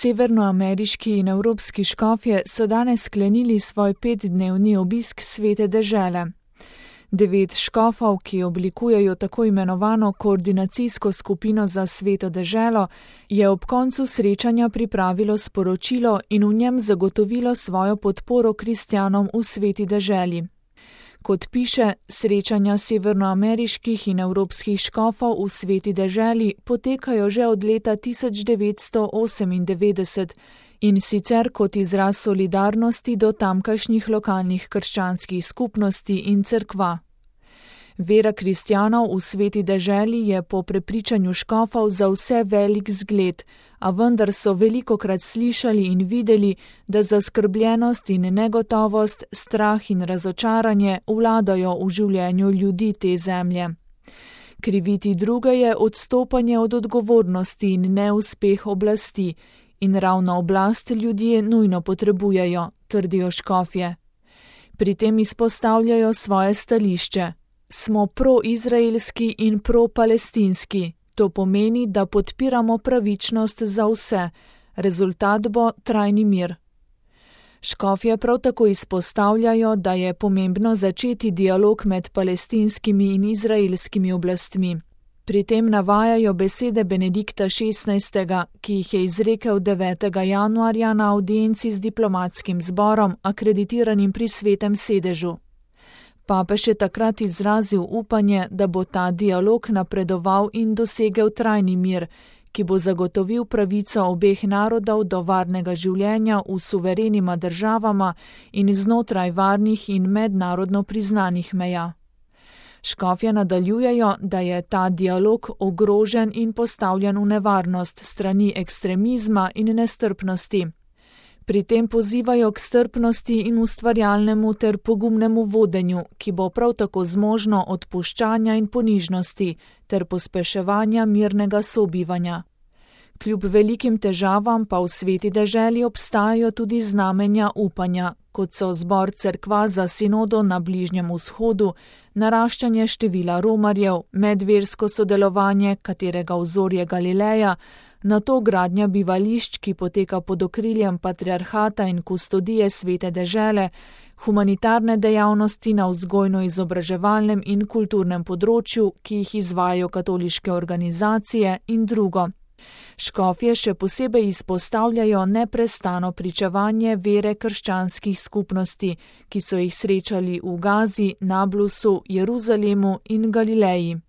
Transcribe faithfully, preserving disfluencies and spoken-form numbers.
Severnoameriški in evropski škofje so danes sklenili svoj petdnevni obisk Svete dežele. Devet škofov, ki oblikujejo tako imenovano koordinacijsko skupino za Sveto deželo, je ob koncu srečanja pripravilo sporočilo in v njem zagotovilo svojo podporo kristjanom v Sveti deželi. Kot piše, srečanja severnoameriških in evropskih škofov v Sveti deželi potekajo že od leta tisoč devetsto osemindevetdeset in sicer kot izraz solidarnosti do tamkajšnjih lokalnih krščanskih skupnosti in cerkva. Vera kristjanov v Sveti deželi je po prepričanju škofov za vse velik zgled, a vendar so velikokrat slišali in videli, da zaskrbljenost in negotovost, strah in razočaranje vladajo v življenju ljudi te zemlje. Kriviti druge je odstopanje od odgovornosti in neuspeh oblasti, in ravno oblast ljudje nujno potrebujejo, trdijo škofje. Pri tem izpostavljajo svoje stališče. Smo proizraelski in propalestinski. To pomeni, da podpiramo pravičnost za vse. Rezultat bo trajni mir. Škofje prav tako izpostavljajo, da je pomembno začeti dialog med palestinskimi in izraelskimi oblastmi. Pri tem navajajo besede Benedikta šestnajstega, ki jih je izrekel devetega januarja na avdienci z diplomatskim zborom, akreditiranim pri Svetem sedežu. Papež je takrat izrazil upanje, da bo ta dialog napredoval in dosegel trajni mir, ki bo zagotovil pravico obeh narodov do varnega življenja v suverenima državama in znotraj varnih in mednarodno priznanih meja. Škofje nadaljujejo, da je ta dialog ogrožen in postavljen v nevarnost strani ekstremizma in nestrpnosti. Pri tem pozivajo k strpnosti in ustvarjalnemu ter pogumnemu vodenju, ki bo prav tako zmožno odpuščanja in ponižnosti ter pospeševanja mirnega sobivanja. Kljub velikim težavam pa v Sveti deželi obstajajo tudi znamenja upanja, kot so zbor cerkva za sinodo na Bližnjem vzhodu, naraščanje števila romarjev, medversko sodelovanje, katerega vzor je Galileja, nato gradnja bivališč, ki poteka pod okriljem patriarhata in kustodije Svete dežele, humanitarne dejavnosti na vzgojno-izobraževalnem in kulturnem področju, ki jih izvajajo katoliške organizacije in drugo. Škofje še posebej izpostavljajo neprestano pričevanje vere krščanskih skupnosti, ki so jih srečali v Gazi, Nablusu, Jeruzalemu in Galileji.